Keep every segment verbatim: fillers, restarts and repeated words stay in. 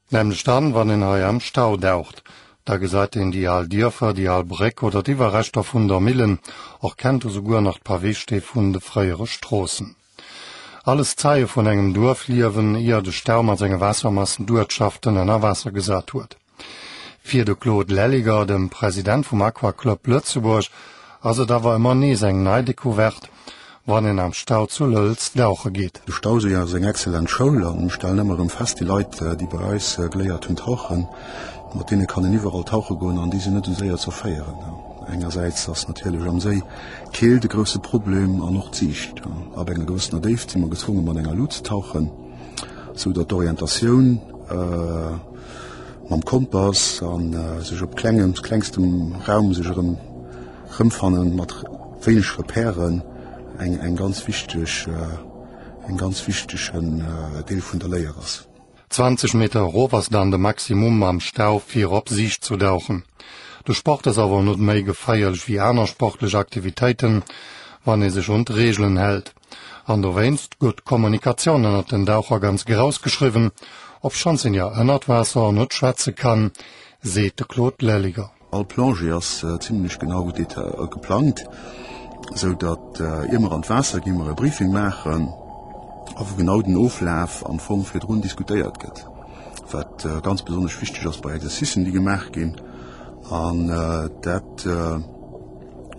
Nämlech dann, wann een hei am Stau daucht. Da gesäit een déi al Dierfer, déi al Bréck oder d'Iwwerreschter vun der Millen, och kennt e souguer nach d'Paweestee vun de fréiere Stroossen. Alles Zeie vun engem Duerfliewen, ier de Stau mat senge Waassermassen d'Uertschaften ënner Waasser gesat huet. Fir de Claude Lelliger, dem President vum Aqua-Club Lëtzebuerg, ass et awer ëmmer nees eng nei Decouverte, wann een am Stau zu Lëlz dauche geet. De Stauséi ass eng excellent Schoul an ech stellen ëmmer erëm fest, déi Leit, déi bei eis geléiert hunn tauchen, mat deene kann een iwwerall tauche goen an déi sinn net esou séier ze erféieren. Engersäits ass natierlech am Séi d'Keelt e grousse Problem an och d'Siicht. Ab enger gewëssener Déift si mer gezwonge mat enger Lut ze tauchen, sou datt d'Orientatioun mam Kompass a sech op klengem, klengstem Raum sech erëm Rëmfannen mat wéineg Repèren eng eng ganz wichteg en ganz wichtegen Deel vun der Léier ass. Zwanzeg Meter erof ass dann de Maximum am Stau fir op Siicht zu dauchen. De Sport ass awer net méi geféierlech wéi aner sportlech Aktivitéiten, wann ee sech un d'Reegelen hält. An dowéinst gëtt d'Kommunikatioun ënnert den Daucher ganz grouss geschriwwen, obschonns een jo ënnert Waasser net schwätze kann, seet de Claude Lelliger. All Plongée ass zimlech genau geplangt, sou datt ier mer an d'Waasser ginn, mer e Briefing maachen a wou genau den Oflaf am Fong virdrun diskutéiert gëtt, wat ganz besonnesch wichteg ass bei Exercicen, déi gemaach ginn. An dat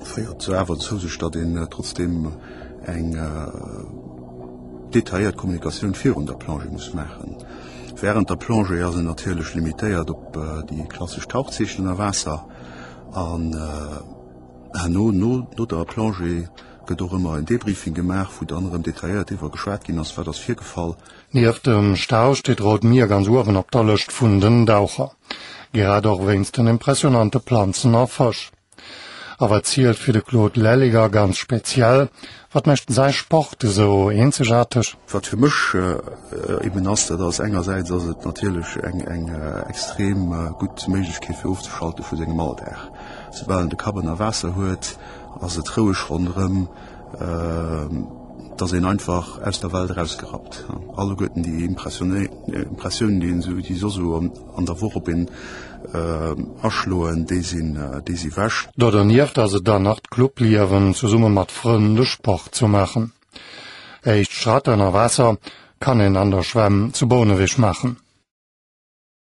féiert awer dozou, sech datt een trotzdeem eng detailléiert Kommunikatioun virun der Plongée muss maachen. Wärend der Plongée ass en natierlech limitéiert op déi klassesch Tauchzeechen ënner Waasser an herno, no der Plongée, gëtt och ëmmer en Debriefing gemaach, wou dann erëm detailléiert driwwer geschwat ginn ass, wat ass virgefall. Nieft dem Stau steet d'Rout Mier ganz uewen op der Lëscht vun den Daucher, grad och wéinst den impressionante Planzen a Fësch. A wat zielt fir de Claude Lelliger ganz speziell? Wat mécht säi Sport esou eenzegaarteg? Wat fir mech eben ass, dat ass engersäits ass et natierlech eng eng extrem gutt Méiglechkeet fir ofzeschalte vu sengem Alldag. Soubal en de Kapp ënner Waasser huet, ass et roueg ronderëm. Et ass een einfach aus der Welt erausgerappt. Alleguerten déi Impressiounen, déi een esou, déi soss esou an der Woch op een aschloen, déi sinn, déi si wech. Do dernieft ass et dann nach d'Clubliewen, zesumme mat Frënn de Sport ze maachen. Éischt Schratt ënner Waasser kann een an der Schwämm zu Bouneweg maachen.